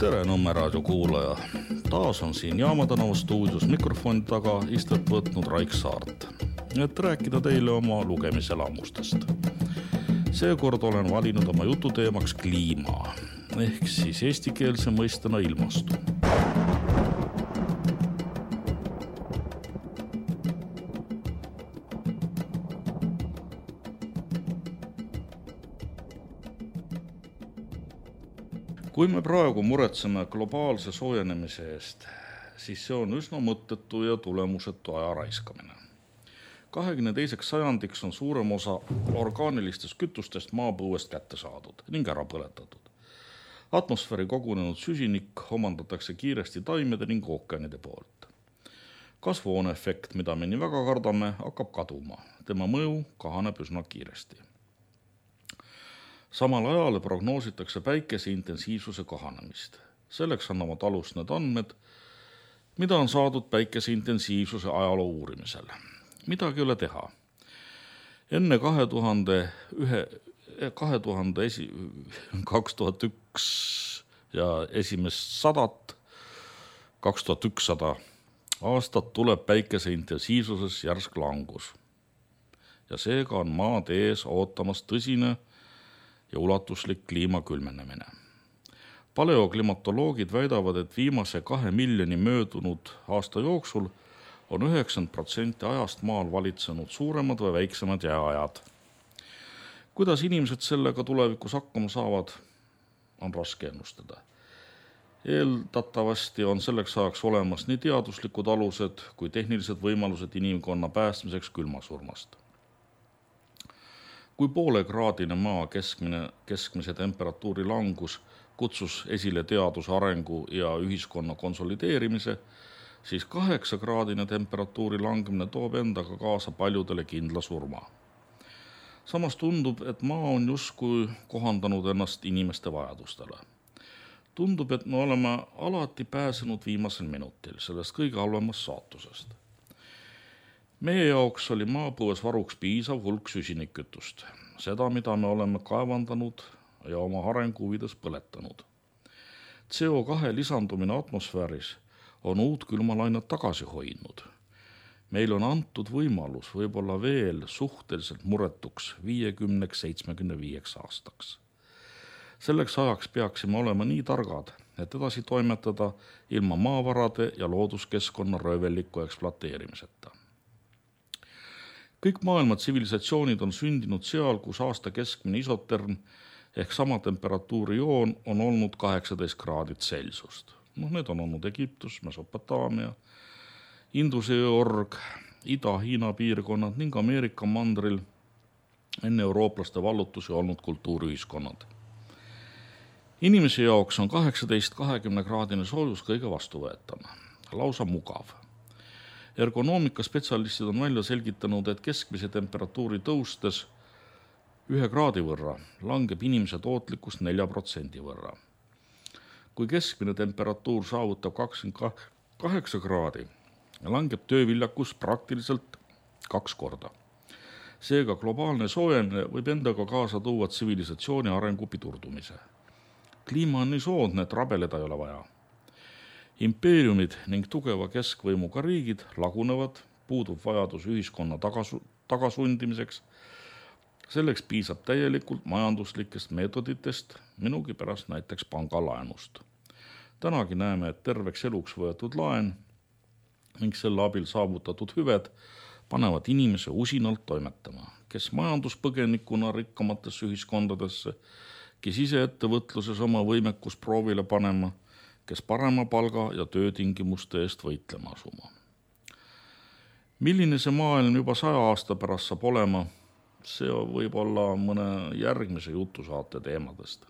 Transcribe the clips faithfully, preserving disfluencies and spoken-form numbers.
Tere Nõmme raadio kuulaja. Taas on siin Jaama tänava stuudios mikrofoni taga istet võtnud Raik Saart, et rääkida teile oma lugemiselamustest. Seekord olen valinud oma jututeemaks kliima, ehk siis eestikeelse mõistena ilmastu. Kui me praegu muretseme globaalse soojenemise eest, siis see on üsna mõttetu ja tulemusetu aja raiskamine. kahekümne teiseks sajandiks on suurem osa orgaanilistest kütustest maapõuest kätte saadud ning ära põletatud. Atmosfääri kogunenud süsinik omandatakse kiiresti taimede ning ookeanide poolt. Kasvuhooneefekt, mida me nii väga kardame, hakkab kaduma. Tema mõju kahaneb üsna kiiresti. Samal ajal prognoositakse päikese intensiivsuse kahanemist. Selleks annavad alust need andmed, mida on saadud päikese intensiivsuse ajaloo uurimisel. Midagi ei ole teha. Enne kahe tuhande üks ja esimest sadat, kaks tuhat ükssada aastat tuleb päikese intensiivsuses järsk langus. Ja seega on maad ees ootamas tõsine ja ulatuslik kliima külmenemine. Paleoklimatoloogid väidavad, et viimase kahe miljoni möödunud aasta jooksul on üheksakümmend protsenti ajast maal valitsenud suuremad või väiksemad jääajad. Kuidas inimesed sellega tulevikus hakkama saavad, on raske ennustada. Eeldatavasti on selleks ajaks olemas nii teaduslikud alused kui tehnilised võimalused inimkonna päästmiseks külmasurmast. Kui poolekraadine maa keskmine, keskmise temperatuuri langus kutsus esile teaduse arengu ja ühiskonna konsolideerimise, siis kaheksakraadine temperatuuri langemine toob endaga kaasa paljudele kindla surma. Samas tundub, et maa on justkui kohandanud ennast inimeste vajadustele. Tundub, et me oleme alati pääsenud viimasel minutil sellest kõige halvemast saatusest. Meie jaoks oli maapõues varuks piisav hulk süsinikkütust, seda, mida me oleme kaevandanud ja oma arengu huvides põletanud. C O kahe lisandumine atmosfääris on uut külmalainet tagasi hoidnud. Meil on antud võimalus võib-olla veel suhteliselt muretuks viiekümneks seitsmekümne viieks aastaks. Selleks ajaks peaksime olema nii targad, et edasi toimetada ilma maavarade ja looduskeskkonna röövelliku ekspluateerimiseta. Kõik maailma tsivilisatsioonid on sündinud seal, kus aasta keskmine isoterm ehk sama temperatuuri joon on olnud kaheksateist kraadit Celsiust. No, need on olnud Egiptus, Mesopotaamia, Induse org, Ida-Hiina piirkonnad ning Ameerika mandril enne eurooplaste vallutusi olnud kultuuriühiskonnad. Inimese jaoks on kaheksateist kahekümne kraadine soojus kõige vastuvõetama, lausa mugav. Ergonoomika spetsialistid on välja selgitanud, et keskmise temperatuuri tõustes ühe kraadi võrra langeb inimese tootlikkus nelja protsendi võrra. Kui keskmine temperatuur saavutab kakskümmend kaheksa kraadi, langeb tööviljakus praktiliselt kaks korda. Seega globaalne soojenemine võib endaga kaasa tuua tsivilisatsiooni arengu pidurdumise. Kliima on nii soodne, et rabeleda ei ole vaja. Impeeriumid ning tugeva keskvõimuga riigid lagunevad, puudub vajadus ühiskonna tagasu, tagasundimiseks. Selleks piisab täielikult majanduslikest meetoditest, minugi pärast näiteks pangalaenust. Tänagi näeme, et terveks eluks võetud laen ning selle abil saavutatud hüved panevad inimese usinalt toimetama, kes majanduspõgenikuna rikkamatesse ühiskondadesse, kes ise ettevõtluses oma võimekus proovile panema, kes parema palga ja töötingimuste eest võitlema asuma. Milline see maailm juba saja aasta pärast saab olema, see võib olla mõne järgmise jutusaate teemadest.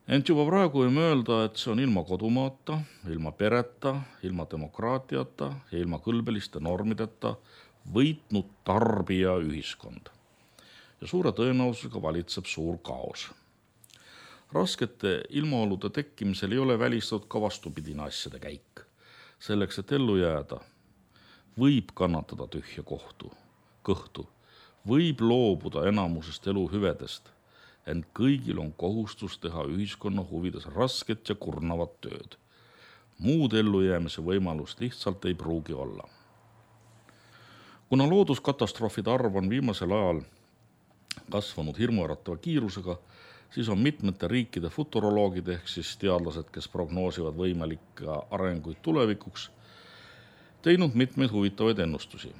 Ent juba praegu võime öelda, et see on ilma kodumaata, ilma pereta, ilma demokraatiata ja ilma kõlbeliste normideta võitnud tarbija ühiskond. Ja suure tõenäosusega valitseb suur kaos. Raskete ilmaolude tekkimisel ei ole välistatud ka vastupidine asjade käik. Selleks, et ellu jääda, võib kannatada tühja kohtu, kõhtu, võib loobuda enamusest eluhüvedest, ent kõigil on kohustus teha ühiskonna huvides rasket ja kurnavat tööd. Muud ellujäämise võimalust lihtsalt ei pruugi olla. Kuna looduskatastroofide arv on viimasel ajal kasvanud hirmuäratava kiirusega, siis on mitmete riikide futuroloogid ehk siis teadlased, kes prognoosivad võimalikke arenguid tulevikuks, teinud mitmeid huvitavaid ennustusi.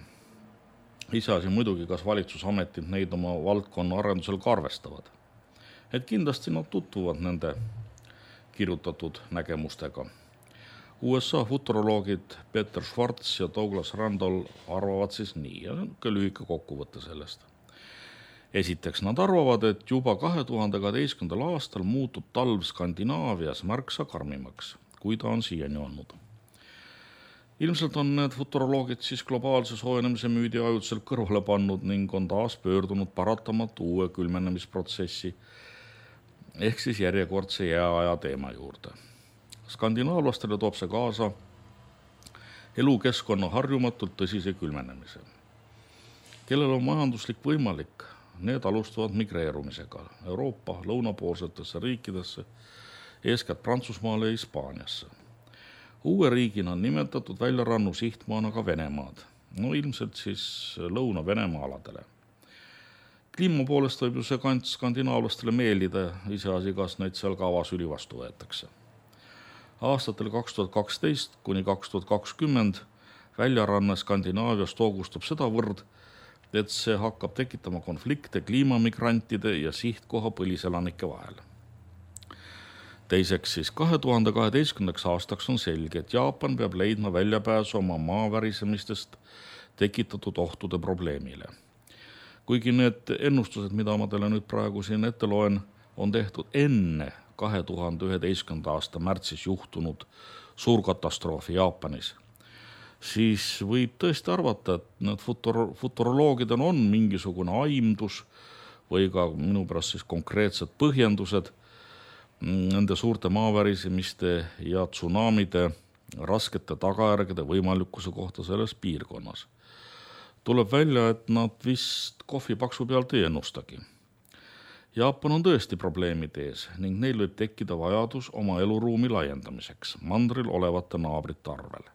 Iseasi muidugi, kas valitsusametid neid oma valdkonna arendusel ka arvestavad. Et kindlasti nad tutvuvad nende kirjutatud nägemustega. U S A futuroloogid Peter Schwartz ja Douglas Randall arvavad siis nii, ja ka lühike kokkuvõte sellest. Esiteks nad arvavad, et juba kahe tuhande kaheteistkümnendal aastal muutub talv Skandinaavias märksa karmimaks, kui ta on siiani olnud. Ilmselt on need futuroloogid siis globaalse soojenemise müüdi ajutiselt kõrvale pannud ning on taas pöördunud paratamatu uue külmenemisprotsessi ehk siis järjekordse jääaja teema juurde. Skandinaavlastele toob see kaasa elukeskkonna harjumatult tõsise külmenemise. Kellel on majanduslik võimalik, need alustavad migreerumisega Euroopa lõunapoolsetesse riikidesse, eeskätt Prantsusmaale ja Hispaaniasse. Uue riigina on nimetatud väljarannu sihtmaana ka Venemaad, no ilmselt siis Lõuna-Venemaa aladele. Kliima poolest võib ju see kant skandinaavlastele meeldida, iseasi, kas neid seal ka avasüli vastu võetakse. Aastatel kaks tuhat kaksteist kuni kaks tuhat kakskümmend väljaranne Skandinaavias toogustub seda võrd, et see hakkab tekitama konflikte kliimamigrantide ja sihtkoha põliselanike vahel. Teiseks siis kahe tuhande kaheteistkümnendaks aastaks on selge, et Jaapan peab leidma väljapääsu oma maavärisemistest tekitatud ohtude probleemile. Kuigi need ennustused, mida ma teile nüüd praegu siin ette loen, on tehtud enne kahe tuhande üheteistkümnenda aasta märtsis juhtunud suurkatastroofi Jaapanis, siis võib tõesti arvata, et need futur- futuroloogidel on mingisugune aimdus või ka minu pärast siis konkreetsed põhjendused nende suurte maavärisemiste ja tsunamide raskete tagajärgede võimalikkuse kohta selles piirkonnas. Tuleb välja, et nad vist kohvipaksu pealt ei ennustagi. Jaapan on tõesti probleemid ees ning neil võib tekkida vajadus oma eluruumi laiendamiseks mandril olevate naabrite arvel.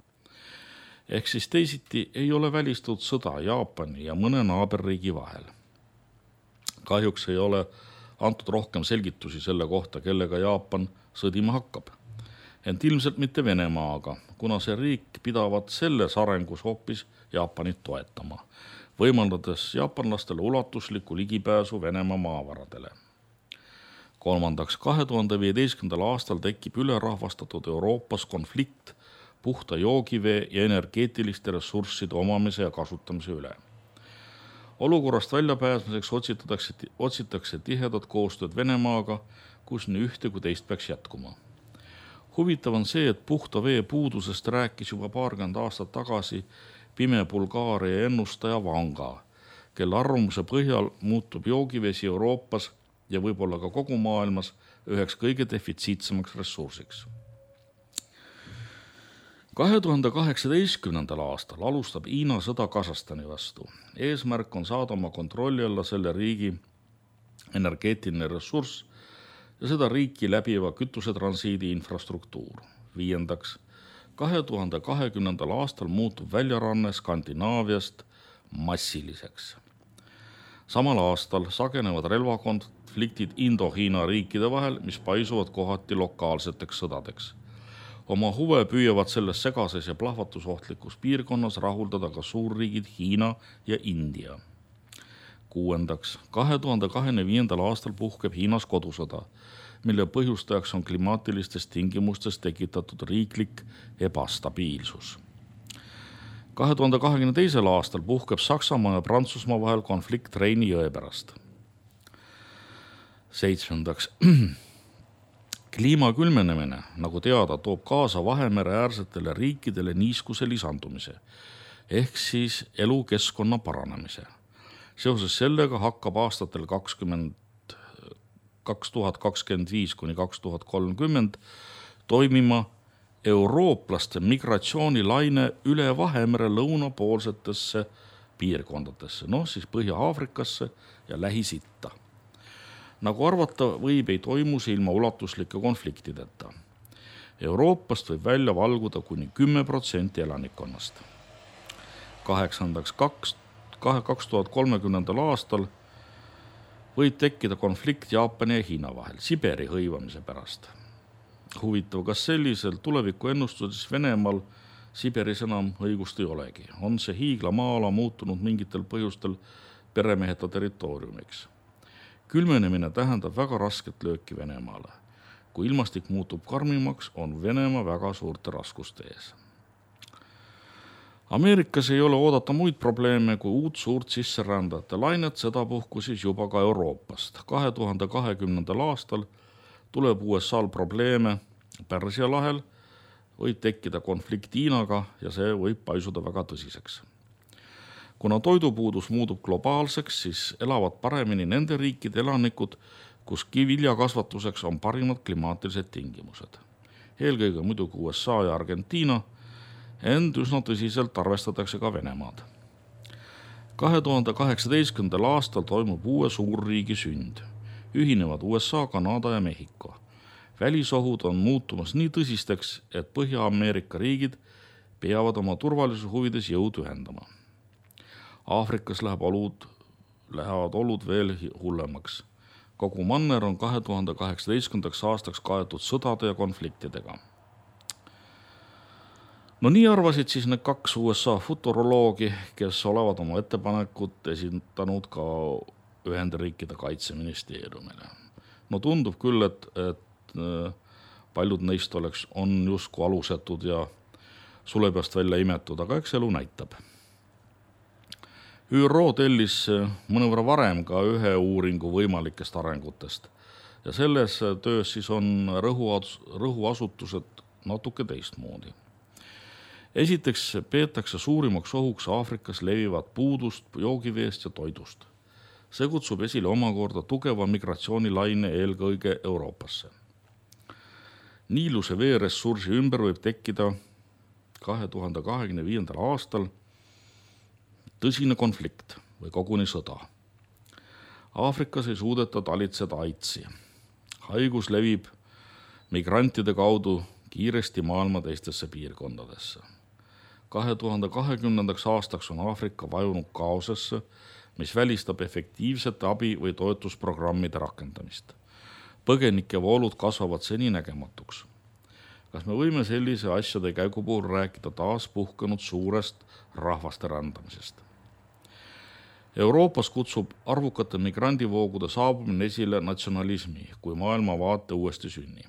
Ehk siis teisiti ei ole välistatud sõda Jaapani ja mõne naaberriigi vahel. Kahjuks ei ole antud rohkem selgitusi selle kohta, kellega Jaapan sõdima hakkab. Ent ilmselt mitte Venemaaga, kuna see riik pidavat selles arengus hoopis Jaapanit toetama, võimaldades jaapanlastele ulatuslikku ligipääsu Venemaa maavaradele. Kolmandaks, kahe tuhande viieteistkümnendal aastal tekib ülerahvastatud Euroopas konflikt puhta joogivee ja energeetiliste ressursside omamise ja kasutamise üle. Olukorrast väljapääsmiseks otsitakse, otsitakse tihedat koostööd Venemaaga, kus nii ühte kui teist peaks jätkuma. Huvitav on see, et puhta vee puudusest rääkis juba paarkümmend aastat tagasi pime Bulgaaria ennustaja Vanga, kelle arvamuse põhjal muutub joogivesi Euroopas ja võib-olla ka kogu maailmas üheks kõige defitsiitsemaks ressursiks. kahe tuhande kaheksateistkümnendal aastal alustab Hiina sõda Kasahstani vastu. Eesmärk on saada oma kontrolli alla selle riigi energeetiline ressurss ja seda riiki läbiva kütusetransiidi infrastruktuur. Viiendaks, kahe tuhande kahekümnendal aastal muutub väljaranne Skandinaaviast massiliseks. Samal aastal sagenevad relvakonfliktid Indo-Hiina riikide vahel, mis paisuvad kohati lokaalseteks sõdadeks. Oma huve püüavad selles segases ja plahvatusohtlikus piirkonnas rahuldada ka suurriigid Hiina ja India. Kuuendaks, kahe tuhande kahekümne viiendal aastal puhkeb Hiinas kodusõda, mille põhjustajaks on klimaatilistest tingimustest tekitatud riiklik ebastabiilsus. kahe tuhande kahekümne teisel aastal puhkeb Saksamaa ja Prantsusmaa vahel konflikt Reini jõe pärast. Seitsmendaks, kliima külmenemine, nagu teada, toob kaasa Vahemere äärsetele riikidele niiskuse lisandumise, ehk siis elukeskkonna paranemise. Seoses sellega hakkab aastatel kakskümmend, kaks tuhat kakskümmend viis kuni kaks tuhat kolmkümmend toimima eurooplaste migratsioonilaine üle Vahemere lõunapoolsetesse piirkondadesse, noh siis Põhja-Aafrikasse ja Lähis-Itta. Nagu arvata võib, ei toimu see ilma ulatuslike konfliktideta. Euroopast võib välja valguda kuni kümme protsenti elanikkonnast. Kaheksandaks, kaks tuhat kolmekümnendal aastal võib tekkida konflikt Jaapani ja Hiina vahel Siberi hõivamise pärast. Huvitav, kas sellisel tuleviku ennustuses Venemaal Siberis enam õigust ei olegi. On see hiigla maa-ala muutunud mingitel põhjustel peremeheta territooriumiks. Külmenemine tähendab väga rasket lööki Venemaale. Kui ilmastik muutub karmimaks, on Venemaa väga suurte raskuste ees. Ameerikas ei ole oodata muid probleeme kui uut suurt sisserändajate lainet, sedapuhku siis juba ka Euroopast. kahe tuhande kahekümnendal aastal tuleb U S A-l probleeme Pärsia lahel, võib tekkida konflikt Hiinaga ja see võib paisuda väga tõsiseks. Kuna toidupuudus muutub globaalseks, siis elavad paremini nende riikide elanikud, kus viljakasvatuseks on parimad klimaatilised tingimused. Eelkõige muidugi U S A ja Argentiina, ent üsna tõsiselt arvestatakse ka Venemaad. kahe tuhande kaheksateistkümnendal aastal toimub uue suurriigi sünd. Ühinevad U S A, Kanada ja Mehhiko. Välisohud on muutumas nii tõsisteks, et Põhja-Ameerika riigid peavad oma turvalisuse huvides jõud ühendama. Aafrikas läheb olud, lähevad olud veel hullemaks. Kogu manner on kahe tuhande kaheksateistkümnendaks aastaks kaetud sõdade ja konfliktidega. No nii arvasid siis need kaks U S A futuroloogi, kes olevat oma ettepanekut esitanud ka Ühendriikide kaitseministeeriumile. No tundub küll, et, et paljud neist oleks, on justkui alusetud ja sulepeast välja imetud, aga eks elu näitab. Ü R O tellis mõnevõrra varem ka ühe uuringu võimalikest arengutest ja selles töös siis on rõhuasutused natuke teistmoodi. Esiteks peetakse suurimaks ohuks Aafrikas levivat puudust joogiveest ja toidust. See kutsub esile omakorda tugeva migratsioonilaine eelkõige Euroopasse. Niiluse veeressursi ümber võib tekkida kahe tuhande kahekümne viiendal aastal tõsine konflikt või koguni sõda. Aafrikas ei suudeta talitseda AIDSi. Haigus levib migrantide kaudu kiiresti maailma teistesse piirkondadesse. kahe tuhande kahekümnendaks aastaks on Aafrika vajunud kaosesse, mis välistab efektiivsete abi- või toetusprogrammide rakendamist. Põgenike voolud kasvavad seni nägematuks. Kas me võime sellise asjade käigu puhul rääkida taas puhkenud suurest rahvaste rändamisest? Euroopas kutsub arvukate migrandivoogude saabumine esile natsionalismi kui maailmavaate uuesti sünni.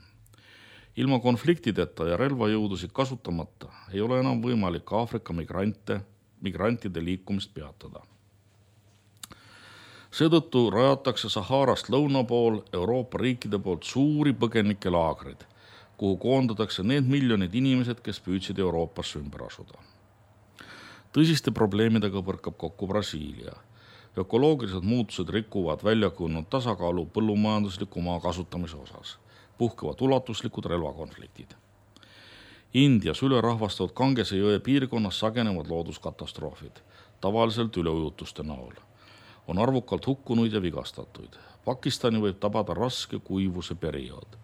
Ilma konfliktideta ja relvajõudusid kasutamata ei ole enam võimalik Aafrika migrante, migrantide liikumist peatada. Seetõttu rajatakse Saharast lõuna pool Euroopa riikide poolt suuri põgenikelaagrid, kuhu koondatakse need miljonid inimesed, kes püüdsid Euroopasse ümber asuda. Tõsiste probleemidega põrkab kokku Brasiilia. Ökoloogilised muutused rikuvad väljakujunenud tasakaalu põllumajandusliku maa kasutamise osas. Puhkevad ulatuslikud relvakonfliktid. Indias ülerahvastatud Gangese jõe piirkonnas sagenevad looduskatastroofid, tavaliselt üleujutuste näol. On arvukalt hukkunuid ja vigastatuid. Pakistani võib tabada raske kuivuse periood.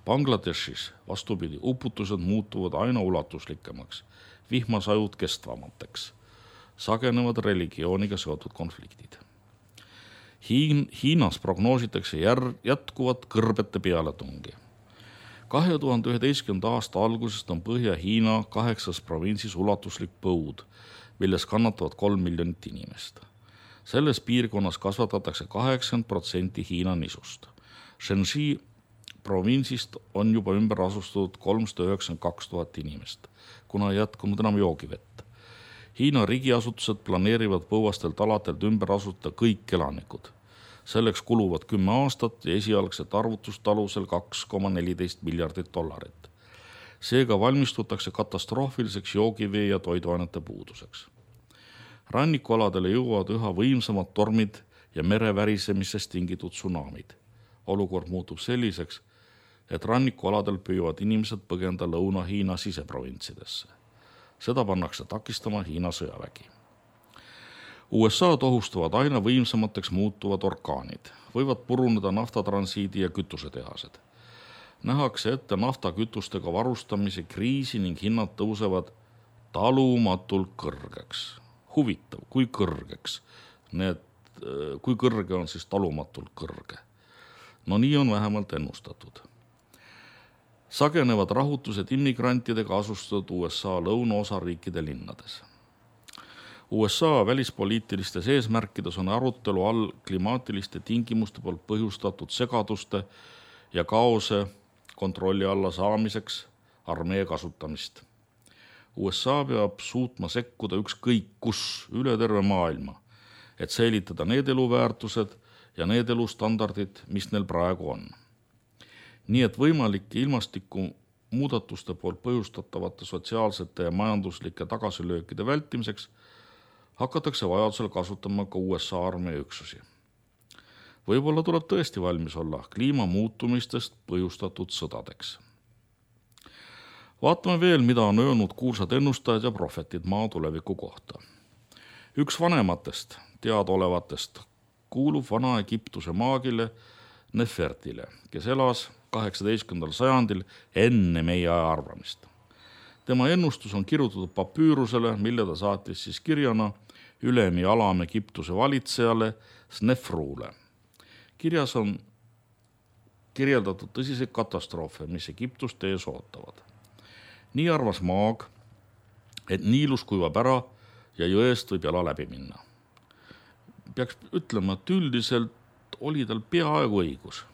Bangladeshis vastupidi uputused muutuvad aina ulatuslikemaks, vihmasajud kestvamateks. Sagenevad religiooniga seotud konfliktid. Hiin, Hiinas prognoositakse jär, jätkuvat kõrbete pealetungi. kahe tuhande üheteistkümnenda aasta algusest on Põhja-Hiina kaheksas provintsis ulatuslik põud, milles kannatavad kolm miljonit inimest. Selles piirkonnas kasvatatakse kaheksakümmend protsenti Hiina nisust. Shenxi provintsist on juba ümber asustatud kolmsada üheksakümmend kaks tuhat inimest, kuna ei jätkunud enam joogivett. Hiina riigiasutused planeerivad põuastelt aladelt ümber asutada kõik elanikud. Selleks kuluvad kümme aastat ja esialgset arvutust alusel kaks koma neliteist miljardit dollarit. Seega valmistutakse katastroofiliseks joogivee ja toiduainete puuduseks. Rannikualadele jõuavad üha võimsamad tormid ja merevärisemisest tingitud tsunamid. Olukord muutub selliseks, et rannikualadel püüavad inimesed põgenda Lõuna-Hiina siseprovintsidesse. Seda pannakse takistama Hiina sõjavägi. U S A tohustavad aina võimsamateks muutuvad orkaanid, võivad puruneda naftatransiidi ja kütusetehased. Nähakse ette naftakütustega varustamise kriisi ning hinnad tõusevad talumatult kõrgeks. Huvitav, kui kõrgeks. Need, kui kõrge on siis talumatult kõrge. No nii on vähemalt ennustatud. Sagenevad rahutused immigrantidega asustatud U S A lõunaosariikide linnades. U S A välispoliitilistes eesmärkides on arutelu all klimaatiliste tingimuste poolt põhjustatud segaduste ja kaose kontrolli alla saamiseks armee kasutamist. U S A peab suutma sekkuda ükskõik kus üle terve maailma, et säilitada need eluväärtused ja need elustandardid, mis neil praegu on. Nii et võimalike ilmastiku muudatuste poolt põhjustatavate sotsiaalsete ja majanduslike tagasilöökide vältimiseks hakatakse vajadusel kasutama ka U S A armee üksusi. Võib-olla tuleb tõesti valmis olla kliimamuutumistest põhjustatud sõdadeks. Vaatame veel, mida on öelnud kuulsad ennustajad ja prohvetid maa tuleviku kohta. Üks vanematest teadaolevatest kuulub vana Egiptuse maagile Nefertile, kes elas kaheksateistkümnendal sajandil enne meie aja arvamist. Tema ennustus on kirjutatud papüürusele, mille ta saatis siis kirjana ülem ja alam Egiptuse valitsejale Snefrule. Kirjas on kirjeldatud tõsiseid katastroofe, mis Egiptust ees ootavad. Nii arvas maag, et Niilus kuivab ära ja jõest võib jala läbi minna. Peaks ütlema, et üldiselt oli tal peaaegu õigus.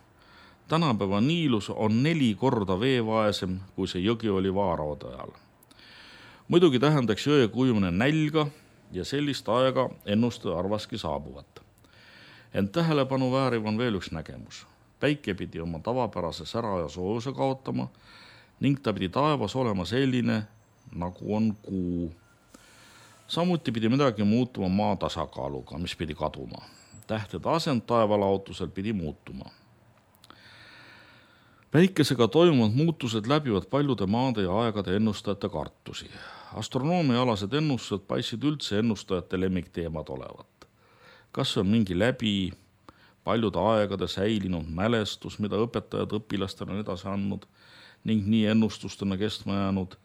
Tänapäeva Niilus on neli korda veevaesem, kui see jõgi oli vaaraode ajal. Muidugi tähendaks jõe kujumine nälga ja sellist aega ennustaja arvaski saabuvat. Ent tähelepanu vääriv on veel üks nägemus. Päike pidi oma tavapärase sära ja soojuse kaotama ning ta pidi taevas olema selline, nagu on kuu. Samuti pidi midagi muutuma maa tasakaaluga, mis pidi kaduma. Tähtede asend taevalaotusel pidi muutuma. Päikesega toimuvad muutused läbivad paljude maade ja aegade ennustajate kartusi. Astronoomiaalased ennustused paistsid üldse ennustajate lemmikteemad olevat. Kas on mingi läbi paljude aegade säilinud mälestus, mida õpetajad õpilastele on edasi andnud ning nii ennustustena kestma jäänud,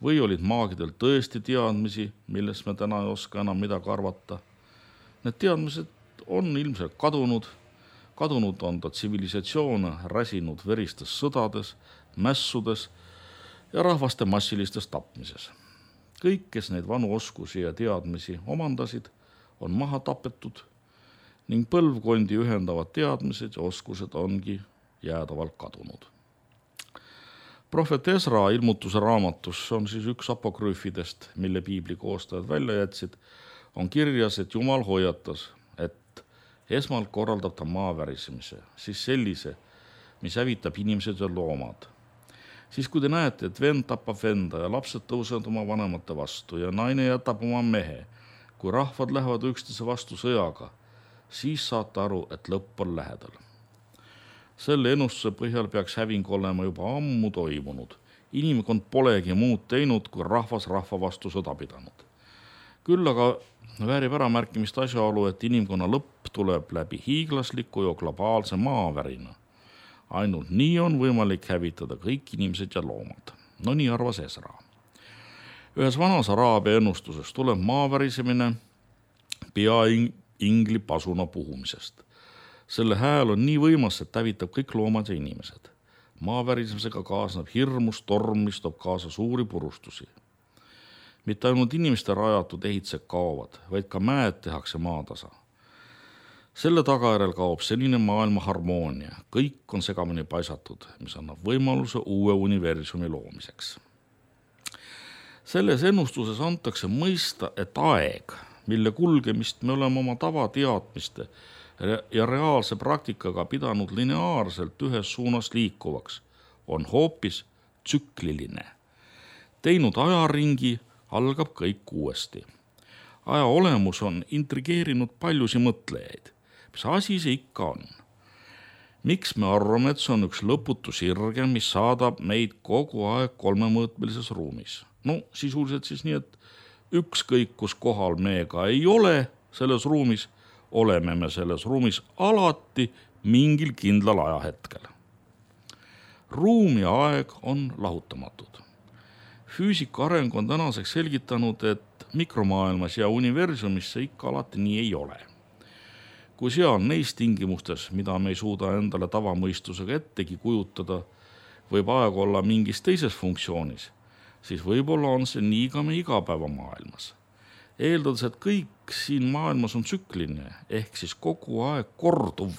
või olid maagidel tõesti teadmisi, millest me täna ei oska enam midagi arvata. Need teadmised on ilmselt kadunud, kadunud on ta tsivilisatsioone räsinud veristes sõdades, mässudes ja rahvaste massilistes tapmises. Kõik, kes neid vanu oskusi ja teadmisi omandasid, on maha tapetud ning põlvkondi ühendavad teadmised ja oskused ongi jäädavalt kadunud. Prohvet Esra ilmutuse raamatus, on siis üks apokrüüfidest, mille piibli koostajad välja jätsid, on kirjas, et Jumal hoiatas, et esmalt korraldab ta maavärisemise, siis sellise, mis hävitab inimesed ja loomad. Siis kui te näete, et vend tapab venda ja lapsed tõusevad oma vanemate vastu ja naine jätab oma mehe, kui rahvad lähevad üksteise vastu sõjaga, siis saate aru, et lõpp on lähedal. Selle ennustuse põhjal peaks häving olema juba ammu toimunud. Inimkond polegi muud teinud, kui rahvas rahva vastu sõda pidanud. Küll aga väärib ära märkimist asjaolu, et inimkonna lõpp tuleb läbi hiiglasliku ja globaalse maavärina. Ainult nii on võimalik hävitada kõik inimesed ja loomad. No nii arvas Esra. Ühes vanas Araabia ennustuses tuleb maavärisemine pea ingli pasuna puhumisest. Selle hääl on nii võimas, et hävitab kõik loomad ja inimesed. Maavärisemisega kaasneb hirmus torm, mis toob kaasa suuri purustusi. Mitte ainult inimeste rajatud ehitsed kaovad, vaid ka mäed tehakse maatasa. Selle tagajärel kaob senine maailma harmoonia. Kõik on segamini paisatud, mis annab võimaluse uue universumi loomiseks. Selles ennustuses antakse mõista, et aeg, mille kulgemist me oleme oma tavateadmiste ja reaalse praktikaga pidanud lineaarselt ühes suunas liikuvaks, on hoopis tsükliline. Teinud ajaringi algab kõik uuesti. Aja olemus on intrigeerinud paljusi mõtlejaid. Mis asi see ikka on? Miks me arvame, et see on üks lõputu sirge, mis saadab meid kogu aeg kolmemõõtmelises ruumis? No sisuliselt siis nii, et ükskõik kus kohal me ka ei ole, selles ruumis, oleme me selles ruumis alati mingil kindlal ajahetkel. Ruum ja aeg on lahutamatud. Füüsika areng on tänaseks selgitanud, et mikromaailmas ja universumis see ikka alati nii ei ole. Kui seal neis tingimustes, mida me ei suuda endale tavamõistusega ettegi kujutada, võib aeg olla mingis teises funktsioonis, siis võib-olla on see nii ka me igapäevamaailmas. Eeldades, et kõik siin maailmas on tsükliline, ehk siis kogu aeg korduv,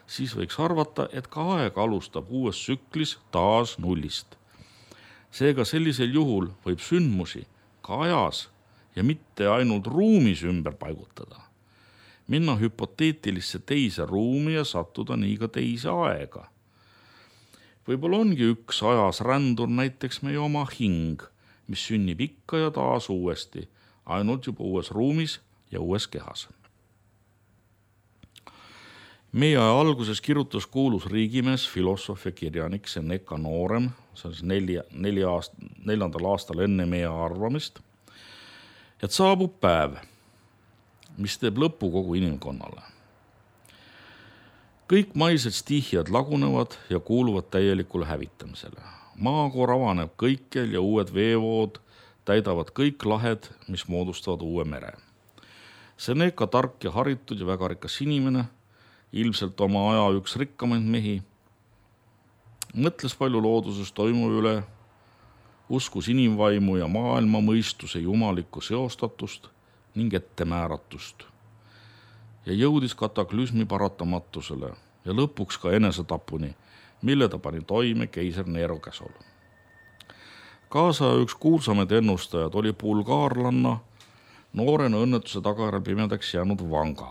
siis võiks arvata, et ka aeg alustab uues tsüklis taas nullist. Seega sellisel juhul võib sündmusi ka ajas ja mitte ainult ruumis ümber paigutada. Minna hüpoteetilisse teise ruumi ja sattuda nii ka teise aega. Võib-olla ongi üks ajas rändur näiteks meie oma hing, mis sünnib ikka ja taas uuesti, ainult juba uues ruumis ja uues kehas. Meie aja alguses kirjutas kuulus riigimees, filosoof ja kirjanik Seneca Noorem, see on nelja, nelja aast, neljandal aastal enne meie arvamist, et saabub päev, mis teeb lõpu kogu inimkonnale. Kõik maised stihjad lagunevad ja kuuluvad täielikule hävitamisele. Maakoor avaneb kõikjal ja uued veevood täidavad kõik lahed, mis moodustavad uue mere. Seneca tark ja haritud ja väga rikas inimene, ilmselt oma aja üks rikkamaid mehi, mõtles palju looduses toimuva üle, uskus inimvaimu ja maailma mõistuse jumalikku seostatust ning ettemääratust ja jõudis kataklüsmi paratamatusele ja lõpuks ka enesetapuni, mille ta pani toime keiser Nero käsul. Kaasa üks kuulsamaid ennustajad oli bulgaarlanna, noorena õnnetuse tagajärjel pimedaks jäänud Vanga.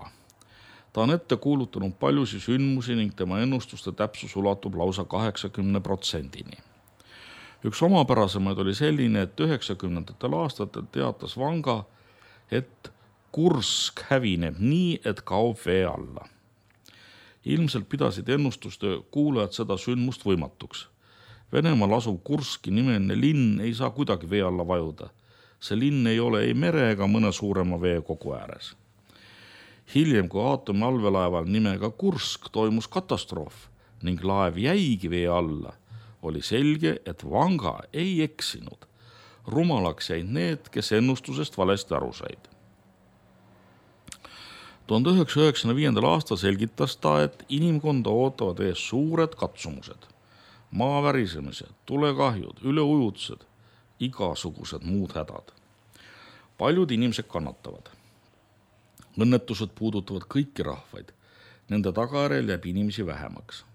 Ta on ette kuulutanud paljusi sündmusi ning tema ennustuste täpsus ulatub lausa kaheksakümne protsendini. Üks omapärasemaid oli selline, et üheksakümnendatel aastatel teatas Vanga, et Kursk hävineb nii, et kaob vee alla. Ilmselt pidasid ennustuste kuulajad seda sündmust võimatuks. Venemaal asuv Kurski nimeline linn ei saa kuidagi vee alla vajuda. See linn ei ole ei mere ega mõne suurema vee kogu ääres. Hiljem, kui aatomi allveelaeval nimega Kursk toimus katastroof ning laev jäigi vee alla, oli selge, et Vanga ei eksinud. Rumalaks jäid need, kes ennustusest valesti aru said. tuhande üheksasaja üheksakümne viiendal aastal selgitas ta, et inimkonda ootavad ees suured katsumused, maavärisemised, tulekahjud, üleujutused, igasugused muud hädad. Paljud inimesed kannatavad. Õnnetused puudutavad kõiki rahvaid. Nende tagajärjel jääb inimesi vähemaks.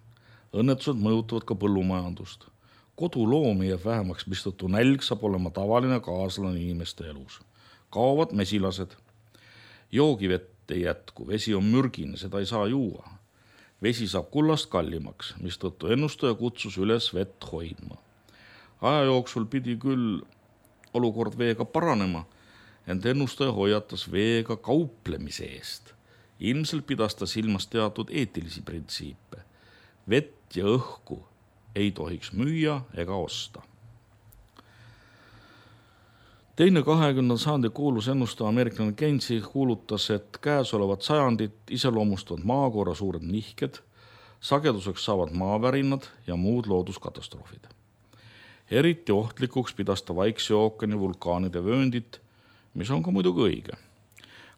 Õnnetused mõjutavad ka põllumajandust. Koduloomi jääb vähemaks, mistõttu nälg saab olema tavaline kaaslane inimeste elus. Kaovad mesilased. Joogivett ei jätku, vesi on mürgine, seda ei saa juua. Vesi saab kullast kallimaks, mistõttu ennustaja kutsus üles vett hoidma. Aja jooksul pidi küll olukord veega paranema, ent ennustaja hoiatas veega kauplemise eest. Ilmselt pidas ta silmas teatud eetilisi printsiipe. Vett ja õhku ei tohiks müüa ega osta. Teine kahekümnendal sajandi kuulus ennustaja ameeriklane Keynes kuulutas, et käesolevat sajandit iseloomustavad maakorra suured nihked, sageduseks saavad maavärinad ja muud looduskatastroofid. Eriti ohtlikuks pidas ta Vaikse ookeani vulkaanide vööndit, mis on ka muidugi õige.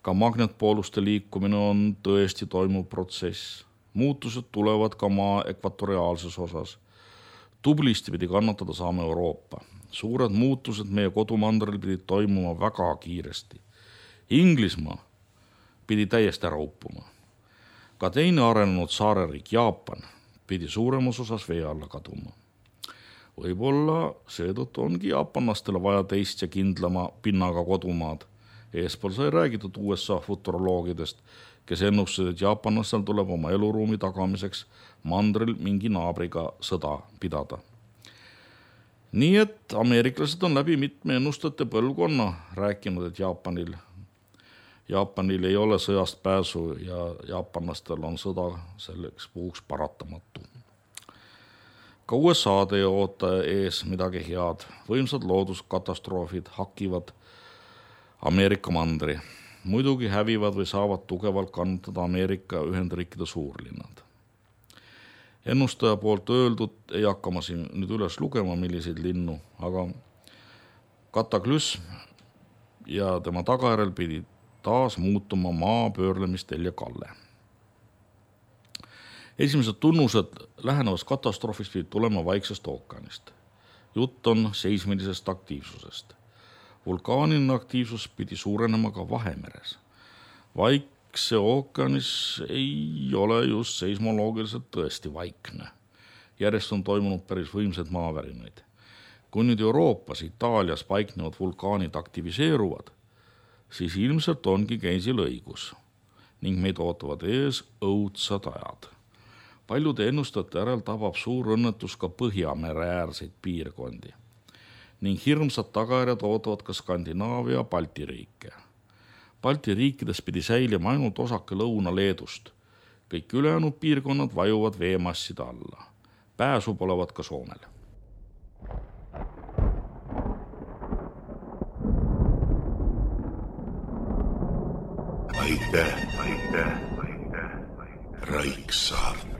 Ka magnetpooluste liikumine on tõesti toimuv protsess. Muutused tulevad ka maa ekvatoriaalses osas. Tublisti pidi kannatada saame Euroopa. Suured muutused meie kodumandril pidid toimuma väga kiiresti. Inglismaa pidi täiesti ära uppuma. Ka teine arenenud saareriik Jaapan pidi suuremas osas vee alla kaduma. Võib-olla seetõttu ongi jaapanlastele vaja teist ja kindlama pinnaga kodumaad. Eespool sai räägitud U S A futuroloogidest, kes ennustasid, et jaapanlastel tuleb oma eluruumi tagamiseks mandril mingi naabriga sõda pidada. Nii et ameeriklased on läbi mitme ennustajate põlvkonna rääkinud, et Jaapanil, Jaapanil ei ole sõjast pääsu ja jaapanlastel on sõda selleks puhuks paratamatu. Ka U S A-d ei oota ees midagi head. Võimsad looduskatastroofid hakivad Ameerika mandri. muidugi hävivad või saavad tugevalt kannatada Ameerika Ühendriikide suurlinnad. Ennustaja poolt öeldud ei hakka ma siin nüüd üles lugema, milliseid linnu, aga kataklüsm ja tema tagajärjel pidi taas muutuma maa pöörlemistel ja kalle. Esimesed tunnused lähenevast katastroofist pidi tulema Vaiksest ookeanist. Jutt on seismilisest aktiivsusest. Vulkaaniline aktiivsus pidi suurenema ka Vahemeres. Vaikse ookeanis ei ole just seismoloogiliselt tõesti vaikne. Järjest on toimunud päris võimsad maavärinaid. Kui nüüd Euroopas, Itaalias paiknevad vulkaanid aktiviseeruvad, siis ilmselt ongi Geinsil õigus ning meid ootavad ees õudsad ajad. Paljude ennustajate järel tabab suur õnnetus ka Põhjamere äärseid piirkondi ning hirmsad tagajärjed ootavad ka Skandinaavia ja Balti riike. Balti riikides pidi säilima ainult osake Lõuna-Leedust. Kõik ülejäänud piirkonnad vajuvad veemasside alla. Pääsu polevat ka Soomel. Aitäh, aitäh, aitäh, Raiksaart.